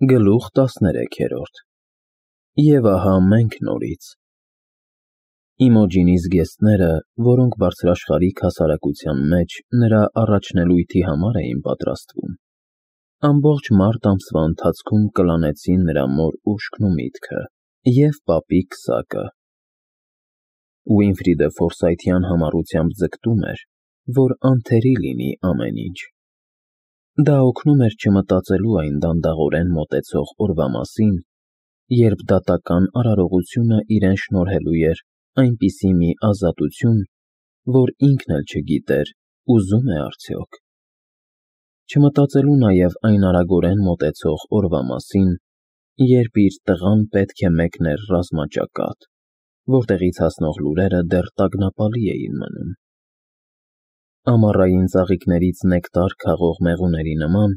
Գլուխ 13 Եվ ահա մենք նորից։ Իմոջինի զգեստները, որոնք բարձրաշխարհիկ հասարակության մեջ նրա առաջնելույթի համար էին պատրաստվում, ամբողջ մարտ ամսվա ընթացքում կլանեցին նրա մոր ուշքն ու միտքը և պապի քսակը։ Ուինֆրիդը ֆորսայթյան համառությամբ ձգտում էր, որ անթերի լինի ամեն ինչ։ Դա օգնում էր չմտածելու այն դանդաղորեն մոտեցող օրվա մասին, երբ դատական արարողությունը իրեն շնորհելու էր այնպիսի մի ազատություն, որ ինքն էլ չգիտեր ուզում է արդյոք։ Չմտածելու նաև այն արագորեն մոտեցող օրվա մասին, երբ իր տղան պետք է մեկներ ռազմաճակատ, որտեղից հասնող լուրերը դեռ տագնապալի էին մնում։ Ամառային ծաղիկներից նեկտար քաղող մեղուների նման,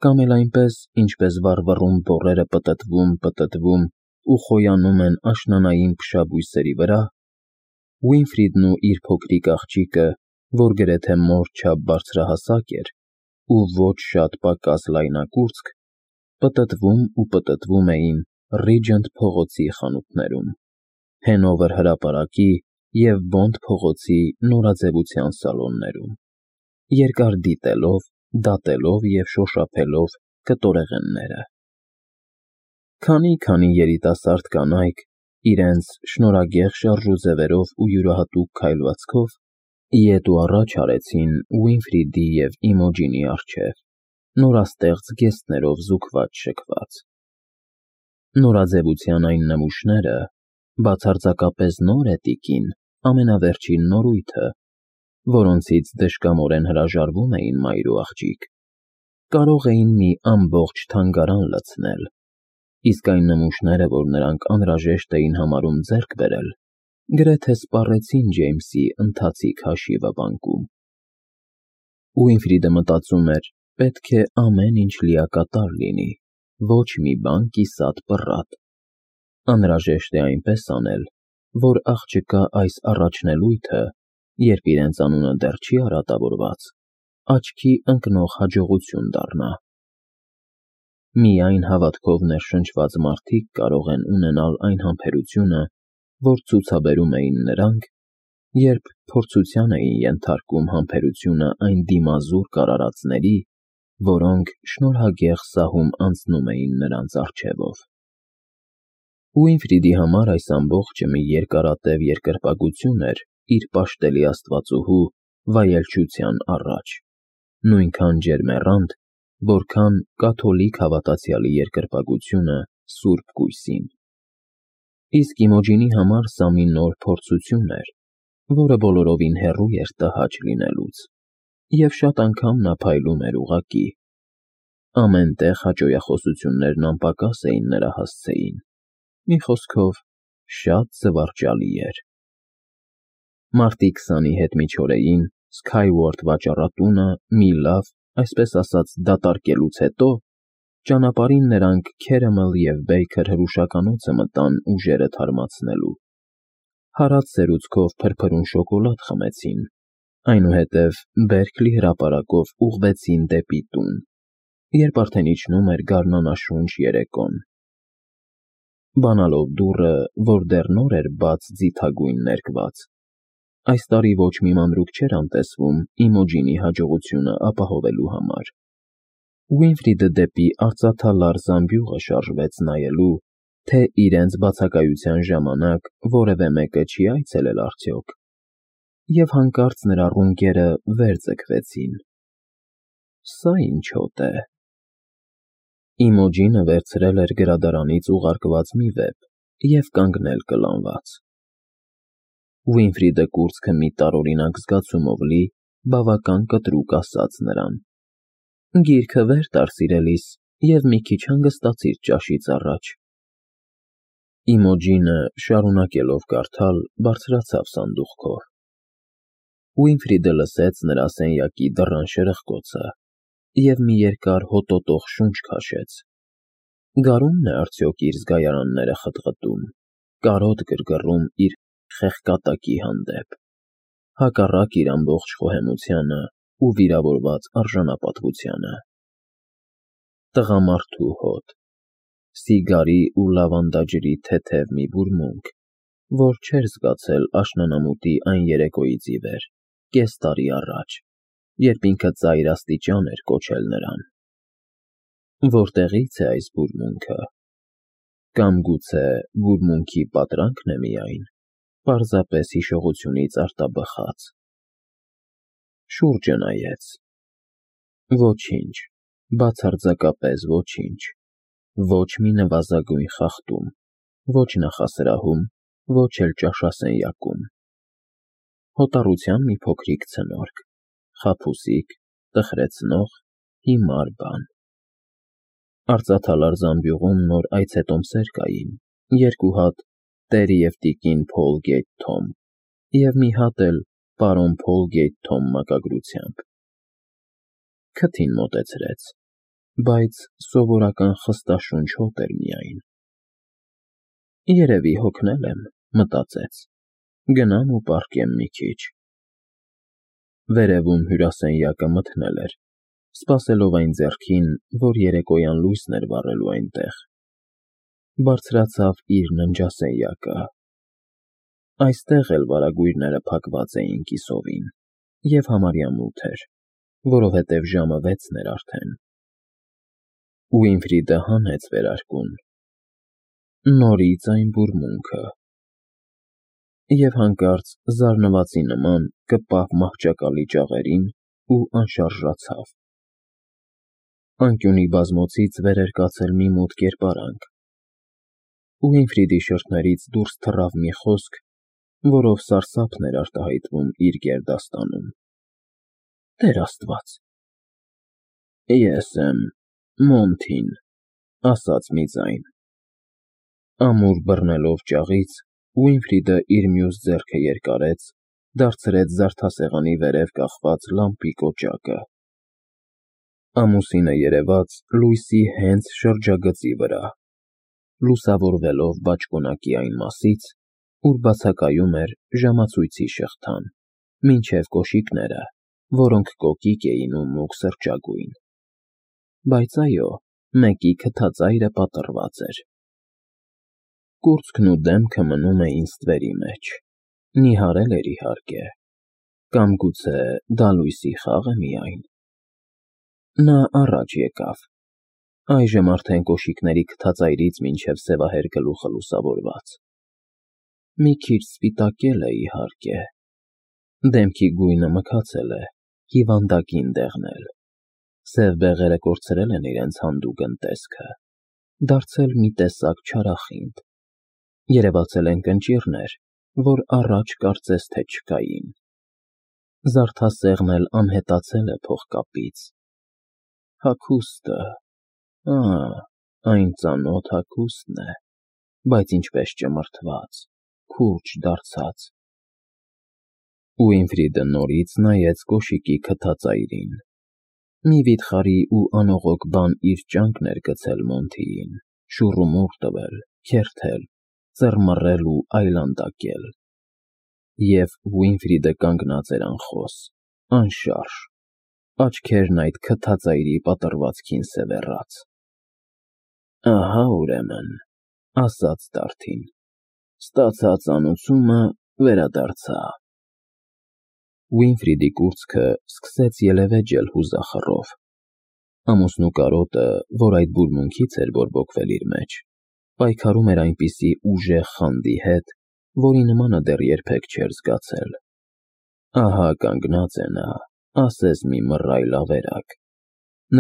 կամ էլ այնպես, ինչպես վառվռուն բոռերը պտտվում ու խոյանում են աշնանային փշաբույսերի վրա, Ուինֆրիդն ու իր փոքրիկ աղջիկը, որ գրեթե մոր չափ բարձրահասակ էր ու ոչ շատ պակաս լայնակուրծք, պտտվում էին Ռիջենտ փողոցի խանութներում, Հենովեր հրապարակի և Բոնդ փողոցի նորաձևության սալոններում, երկար դիտելով, դատելով և շոշափելով կտորեղենները։ Քանի երիտասարդ կանայք, իրենց շնորհագեղ շարժուձևերով ու յուրահատուկ քայլվածքով, ետ ու առաջ արեցին Ուինֆրիդի և Իմոջինի առջև, նորաստեղծ զգեստներով զուգված-շգված։ Նորաձևության այն նմուշները, բացարձակապես նոր է տիկին, ամենավերջին նորույթը, որոնցից դժկամորեն հրաժարվում էին մայր ու աղջիկ, կարող էին մի ամբողջ թանգարան լցնել, իսկ այն նմուշները, որ նրանք անհրաժեշտ էին համարում ձեռք բերել, գրեթե սպառեցին Ջեյմսի ընթացիկ հաշիվը բանկում։ Ուինֆրիդը մտածում էր, պետք է ամեն ինչ լիակատար լինի, ոչ մի բան կիսատ պռատ։ Անհրաժեշտ է այնպես անել, որ աղջկա այս առաջնելույթը, երբ իրենց անունը դեռ չի արատավորված, աչքի ընկնող հաջողություն դառնա։ Միայն հավատքով ներշնչված մարդիկ կարող են ունենալ այն համբերությունը, որ ցուցաբերում էին նրանք, երբ փորձության էին ենթարկում համբերությունը այն դիմազուր կարարածների, որոնք շնորհագեղ սահում անցնում էին նրանց առջևով։ Ուինֆրիդի համար այս ամբողջը մի երկարատև երկրպագություն էր իր պաշտելի աստվածուհու վայելչության առաջ, նույնքան ջերմեռանդ, որքան կաթոլիկ հավատացյալի երկրպագությունը Սուրբ Կույսին։ Իսկ Իմոջինի համար սա մի նոր փորձություն էր, որը բոլորովին հեռու էր տհաճ լինելուց, և շատ անգամ նա փայլում էր ուղղակի։ Ամեն տեղ հաճոյախոսություններն անպակաս էին նրա հասցեին, մի խոսքով, շատ զվարճալի էր։ Մարտի 20-ի հետմիջօրեին Սքայուորթ վաճառատունը մի լավ, այսպես ասած, դատարկելուց հետո, ճանապարհին նրանք Քերեմլ և Բեյքեր հրուշականոցը մտան ուժերը թարմացնելու, հարած սերուցքով փրփրուն շոկոլադ խմեցին, այնուհետև Բերքլի հրապարակով ուղղվեցին դեպի տուն, երբ արդեն իջնում էր գարնանաշունչ երեկոն։ Բանալով դուռը, որ դեռ նոր էր բաց ձիթագույն ներկված, այս տարի ոչ մի մանրուք չէր անտեսվում Իմոջինի հաջողությունը ապահովելու համար, Ուինֆրիդը դեպի արծաթալար զամբյուղը շարժվեց նայելու, թե իրենց բացակայության ժամանակ որևէ մեկը չի այցելել արդյոք, և հանկարծ նրա ռունկերը վեր ձգվեցին։ Սա ինչ հոտ է։ Իմոջինը վերցրել էր գրադարանից ուղարկված մի վեպ և կանգնել կլանված։ Ուինֆրիդը կուրծքը մի տարօրինակ զգացումով լի, բավական կտրուկ ասաց նրան. «Գիրքը վեր տար, սիրելիս, և մի քիչ հանգստացիր ճաշից առաջ»։ Իմոջինը, շարունակելով կարդալ, բարձրացավ սանդուղքով։ Ուինֆրիդը լսեց նրա սենյակի դռան շրխկոցը և մի երկար հոտոտող շունչ քաշեց։ Գարու՞մն է արդյոք իր զգայարանները խտղտում, կարոտ գրգռում իր խեղկատակի հանդեպ, հակառակ իր ամբողջ խոհեմությանը ու վիրավորված արժանապատվությանը։ Տղամարդու հոտ, սիգարի ու լավանդաջրի թեթև մի բուրմունք, որ չէր զգացել աշնանամուտի այն երեկոյից ի վեր, կես տարի առաջ, երբ ինքը ծայր աստիճան էր կոչել նրան։ Որտեղի՞ց է այս բուրմունքը։ Կամ գուցե բուրմունքի պատրանքն է միայն, պարզապես հիշողությունից արտաբխած։ Շուրջը նայեց։ Ոչինչ, բացարձակապես ոչինչ, ոչ մի նվազագույն խախտում, ոչ նախասրահում, ոչ էլ ճաշասենյակում։ Հոտառության մի փոքրիկ ցնորք, խաբուսիկ, տխրեցնող, հիմար բան։ Արծաթալար զամբյուղում նոր այցետոմսեր կային, 2 հատ տեր և տիկին Փոլգեյթ Թոմ և մի հատ էլ պարոն Փոլգեյթ Թոմ մակագրությամբ։ Քթին մոտեցրեց, բայց սովորական խստաշունչ հոտ էր միայն։ Երևի հոգնել եմ, մտածեց, գնամ ու պառկեմ մի քիչ։ Վերևում հյուրասենյակը մթնել էր, սպասելով այն ձեռքին, որ երեկոյան լույսն էր վառելու այնտեղ։ Բարձրացավ իր ննջասենյակը։ Այստեղ էլ վարագույրները փակված էին կիսովին, և համարյա մութ էր, որովհետև ժամը 6-ն էր արդեն։ Ուինֆրիդը հանեց վերարկուն։ Նորից այն բուրմունքը։ Եվ հանկարծ զարնվածի նման կպավ մահճակալի ճաղերին ու անշարժացավ։ Անկյունի բազմոցից վեր էր կացել մի մութ կերպարանք։ Ուինֆրիդի շրթներից դուրս թռավ մի խոսք, որով սարսափն էր արտահայտվում իր գերդաստանում։ Տեր Աստված։ Ես եմ, Մոնթին, ասաց մի ձայն։ Ամուր բռնելով ճաղից, Ուինֆրիդը իր մյուս ձեռքը երկարեց, դարձրեց զարդասեղանի վերև կախված լամպի կոճակը։ Ամուսինը երևաց լույսի հենց շրջագծի վրա, լուսավորվելով բաճկոնակի այն մասից, ուր բացակայում էր ժամացույցի շղթան, մինչև կոշիկները, որոնք կոկիկ էին ու մուգ սրճագույն։ Բայց այո, մեկի քթածայրը պատռված էր։ Կուրծքն ու դեմքը մնում էին ստվերի մեջ, նիհարել էր իհարկե, կամ գուցե դա լույսի խաղ է միայն։ Նա առաջ եկավ, այժմ արդեն կոշիկների քթածայրից մինչև սևահեր գլուխը լուսավորված։ Մի քիչ սպիտակել է իհարկե, դեմքի գույնը մքացել է, հիվանդագին դեղնել, սև բեղերը կորցրել են իրենց հանդուգն տեսքը, դարձել մի տեսակ չարախինդ, երևացել են կնճիռներ, որ առաջ կարծես թե չկային։ Զարդասեղն էլ անհետացել է փողկապից։ Հագուստը, այն ծանոթ հագուստն է, բայց ինչպես ճմրթված, քուրջ դարձած։ Ուինֆրիդը նորից նայեց կոշիկի քթածայրին։ Մի վիթխարի ու անողոք բան իր ճանկն էր գցել Մոնթիին, շուռումուռ տվել, քերթել, ծռմռել ու այլանդակել։ Եվ Ուինֆրիդը կանգնած էր անխոս, անշարժ, աչքերն այդ քթածայրի պատռվածքին սևեռած։ Ահա ուրեմն, ասաց դարդին, ստացած անուծումը վերադարձա։ Ուինֆրիդի կուրծքը սկսեց ելևէջել հուզախռով։ Ամուսնու կարոտը, որ այդ բուրմունքից էր բորբոքվել իր մեջ, պայքարում էր այնպիսի ուժեղ խանդի հետ, որի նմանը դեռ երբեք չէր զգացել։ Ահա կանգնած է նա, ասես մի մռայլ ավերակ,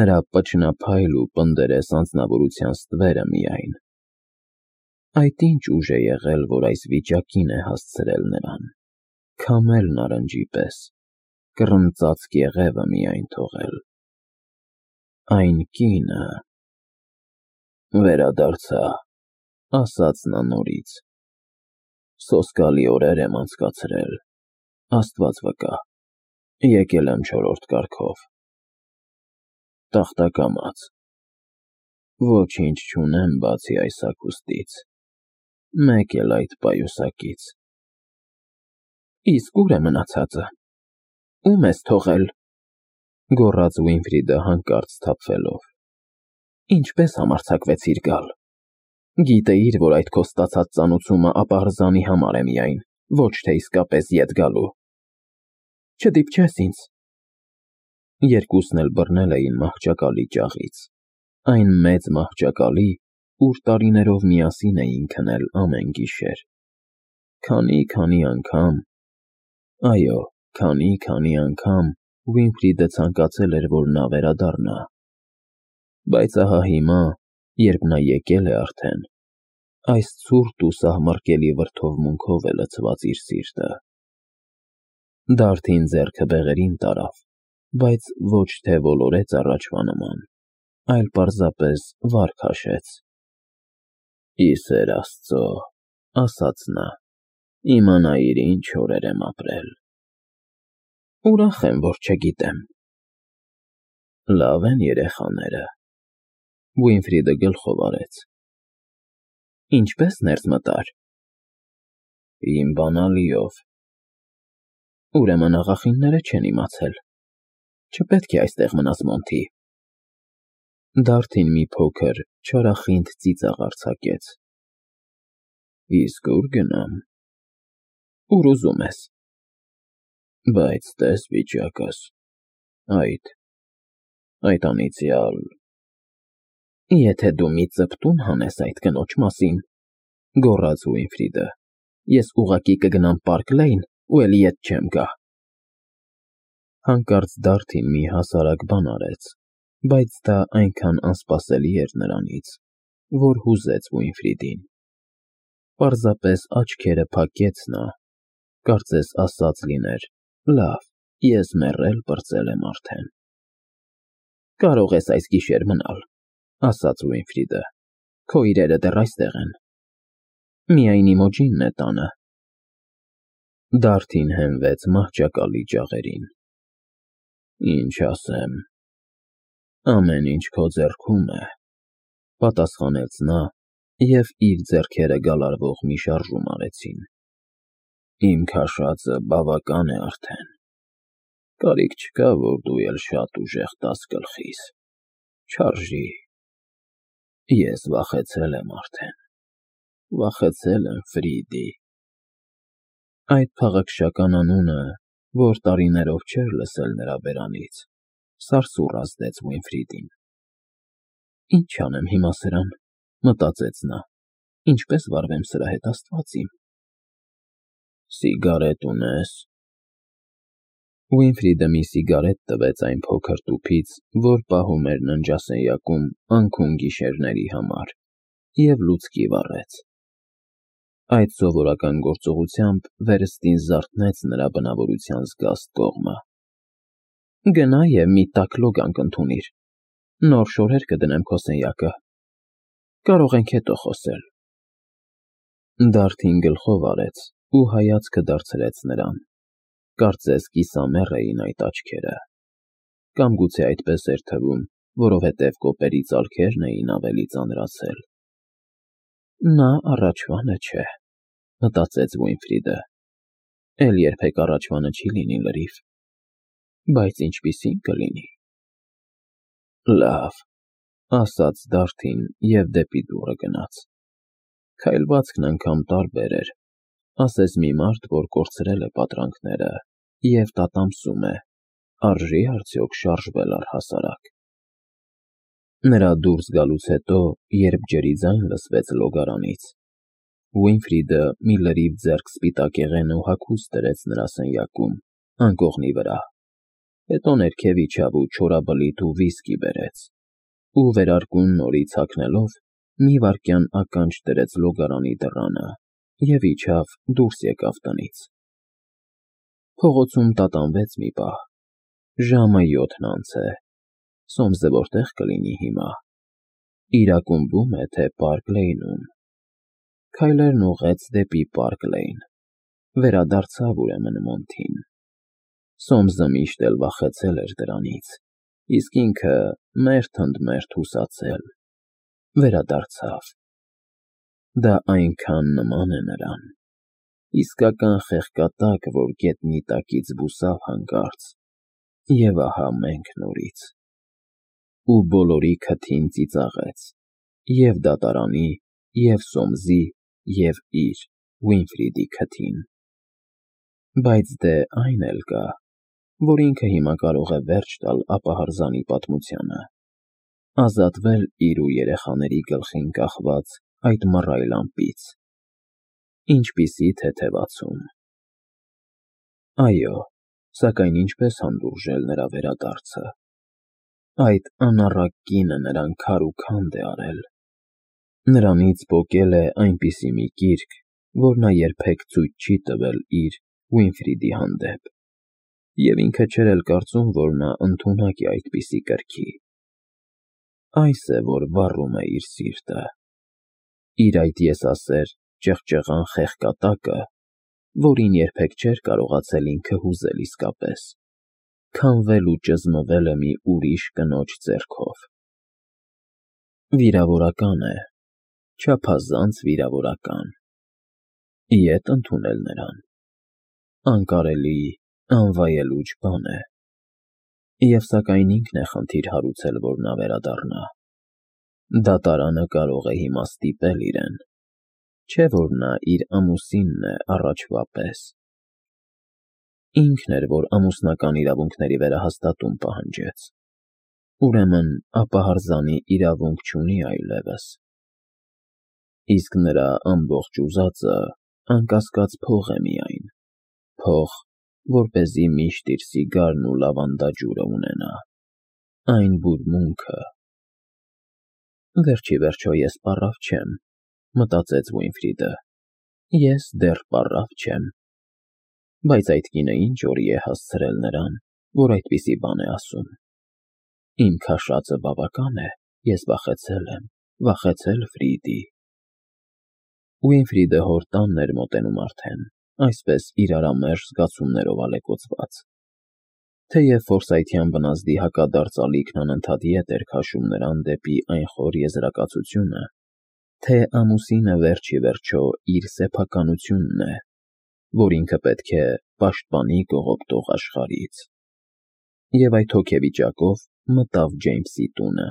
նրա պչնափայլ ու պնդերես անձնավորության ստվերը միայն։ Այդ ինչ ուժ է եղել, որ այս վիճակին է հասցրել նրան, քամել նարնջի պես, կռնծաց կեղևը միայն թողել։ Այն կինը… Վերադարձա, ասաց նա նորից։ Սոսկալի օրեր եմ անցկացրել, Աստված վկա, եկել եմ 4-րդ կարգով։ Տախտակամաց։ Ոչինչ չունեմ բացի այս հագուստից, մեկ էլ այդ պայուսակից։ Իսկ ուր է մնացածը, ում ես թողել, գոռաց Ուինֆրիդը հանկարծ սթափվելով։ Ինչպես համարձակվեցիր գալ։ Գիտեիր, որ այդ քո ստացած ծանուցումը ապահրզանի համար է միայն, ոչ թե իսկապես ետ գալու։ Չդիպչես ինձ։ Երկուսն էլ բռնել էին մահճակալի ճաղից, այն մեծ մահճակալի, ուր տարիներով միասին էին քնել ամեն գիշեր։ Քանի անգամ, այո, քանի անգամ Ուինֆրիդը ցանկացել էր, որ նա վերադառնա, բայց ահա հիմա, երբ նա եկել է արդեն, այս ցուրտ ու սահմռկելի վրդովմունքով է լցված իր սիրտը։ Դարդին ձեռքը բեղերին տարավ, բայց ոչ թե ոլորեց առաջվա նման, այլ պարզապես վար քաշեց։ «Ի սեր Աստծո», ասաց նա, «իմանայիր ինչ օրեր եմ ապրել»։ Ուրախ եմ, որ չգիտեմ։ Լավ են երեխաները։ Ուինֆրիդը գլխով արեց։ Ինչպես ներս մտար։ Իմ բանալիով։ Ուրեմն աղախինները չեն իմացել։ Չպետք է այստեղ մնաս, Մոնթի։ Դարդին մի փոքր չարախինդ ծիծաղ արձակեց։ Իսկ ուր գնամ։ Ուր ուզում ես։ Բայց տես վիճակս, այդ անիծյալ։ Եթե դու մի ծպտուն հանես այդ կնոջ մասին, գոռաց Ուինֆրիդը, ես ուղղակի կգնամ Պարկ Լեյն ու էլի ետ չեմ գա։ Հանկարծ Դարդին մի հասարակ բան արեց, բայց դա այնքան անսպասելի էր նրանից, որ հուզեց Ուինֆրիդին։ Պարզապես աչքերը փակեց նա, կարծես ասած լիներ. լավ, ես մեռել պրծել եմ արդեն։ Կարող ես այս գիշեր մնալ, ասաց Ուինֆրիդը, քո իրերը դեռ այստեղ են։ Միայն Իմոջինն է տանը։ Դարդին հենվեց մահճակալի ջաղերին։ Ինչ ասեմ։ Ամեն ինչ քո ձեռքում է, պատասխանեց նա, և իր ձեռքերը գալարվող մի շարժում արեցին։ Իմ քաշածը բավական է արդեն։ Կարիք չկա, որ դու էլ շատ ուժեղ տաս գլխիս։ Չարժի։ Ես վախեցել եմ արդեն։ Վախեցել եմ Ֆրիդի։ Այդ փաղաքշական անունը, որ տարիներով չէր լսել նրա բերանից, սարսուռ ազդեց Ուինֆրիդին։ Ինչ անեմ հիմա սրան, մտածեց նա, ինչպես վարվեմ սրա հետ, Աստված իմ։ Սիգարետ ունես։ Ուինֆրիդը մի սիգարետ տվեց այն փոքր տուփից, որ պահում էր ննջասենյակում անքուն գիշերների համար, և լուցկի վառեց։ Այդ սովորական գործողությամբ վերստին զարթնեց նրա բնավորության զգաստ կողմը։ Գնա և մի տաք լոգանք ընդունիր, նոր շորեր կդնեմ քո սենյակը։ Կարող ենք հետո խոսել։ Դարդին գլխով արեց ու հայացքը դարձրեց նրան, կարծես կիսամեռ էին այդ աչքերը, կամ գուցե այդպես էր թվում, որովհետև կոպերի ծալքերն էին ավելի ծանրացել։ Նա առաջվանը չէ, մտածեց Ուինֆրիդը, էլ երբեք առաջվանը չի լինի լրիվ, բայց ինչպիսին կլինի։ Լավ, ասաց Դարդին և դեպի դուռը գնաց։ Քայլվածքն անգամ տարբեր էր, ասես մի մարդ, որ կորցրել է պատրանքները և տատամսում է, արժի՞ արդյոք շարժվել առհասարակ։ Նրա դուրս գալուց հետո, երբ ջրի ձայն լսվեց լոգարանից, Ուինֆրիդը մի լրիվ ձեռք սպիտակեղեն ու հագուստ դրեց նրա սենյակում, անկողնի վրա, հետո ներքև իջավ ու չորաբլիթ ու վիսկի բերեց, ու վերարկուն նորից հագնելով, մի վայրկյան ականջ դրեց լոգարանի դռանը և իջավ դուրս եկավ տնից։ Փողոցում տատանվեց մի պահ, ժամը 7-ն անց է, Սոմսը որտե՞ղ կլինի հիմա, իր ակումբո՞ւմ է, թե Պարկ Լեյնում։ Քայլերն ուղղեց դեպի Պարկ Լեյն, վերադարձավ ուրեմն Մոնթին։ Սոմսը միշտ էլ վախեցել էր դրանից, իսկ ինքը մերթ ընդ մերթ հուսացել, վերադարձավ։ Դա այնքան նման է նրան, իսկական խեղկատակ, որ գետնի տակից բուսավ հանկարծ, և ահա մենք նորից։ Ու բոլորի քթին ծիծաղեց, և դատարանի, և Սոմսի, և իր՝ Վինֆրիդի քթին։ Բայց դե այն էլ կա, որ ինքը հիմա կարող է վերջ տալ ապահարզանի պատմությանը, ազատվել իր ու երեխաների գլխին կախված այդ մռայլ ամպից։ Ինչպիսի թեթևացում։ Այո, սակայն ինչպես հանդուրժել նրա վերադարձը։ Այդ անառակ կինը նրան քար ու քանդ է արել։ Նրանից պոկել է այնպիսի մի կիրք, որ նա երբեք ցույց չի տվել իր՝ Վինֆրիդի հանդեպ, և ինքը չէր էլ կարծում, որ նա ընդունակ է այդպիսի կրքի։ Այս է, որ վառում է իր սիրտը։ Իր այդ եսասեր, ճղճղան խեղկատակը, որին երբեք չէր կարողացել ինքը հուզել իսկապես, քամվել ու ճզմվել է մի ուրիշ կնոջ ձեռքով։ Վիրավորական է, չափազանց վիրավորական։ Ետ ընդունել նրան անկարելի, անվայելուչ բան է։ Եվ սակայն ինքն է խնդիր հարուցել, որ նա վերադառնա։ Դատարանը կարող է հիմա ստիպել իրեն, չէ՞ որ նա իր ամուսինն է առաջվա պես։ Ինքն էր, որ ամուսնական իրավունքների վերահաստատում պահանջեց։ Ուրեմն ապահարզանի իրավունք չունի այլևս։ Իսկ նրա ամբողջ ուզածը անկասկած փող է միայն, փող, որպեսզի միշտ իր սիգարն ու լավանդաջուրը ունենա, այն բուրմունքը։ Վերջիվերջո ես պառավ չեմ, մտածեց Վինֆրիդը, ես դեռ պառավ չեմ։ Բայց այդ կինը ինչ օրի է հասցրել նրան, որ այդպիսի բան է ասում։ Իմ քաշածը բավական է, ես վախեցել եմ, վախեցել, Ֆրիդի։ Վինֆրիդը հոր տանն էր մոտենում արդեն, այսպես իրարամերժ զգացումներով ալեկոծված։ Թեև ֆորսայթյան բնազդի հակադարձ ալիքն անընդհատ ետ էր քաշում նրան դեպի այն խոր եզրակացությունը, թե ամուսինը վերջիվերջո իր սեփականությունն է, որ ինքը պետք է պաշտպանի կողոպտող աշխարհից։ Եվ այդ հոգեվիճակով մտավ Ջեյմսի տունը։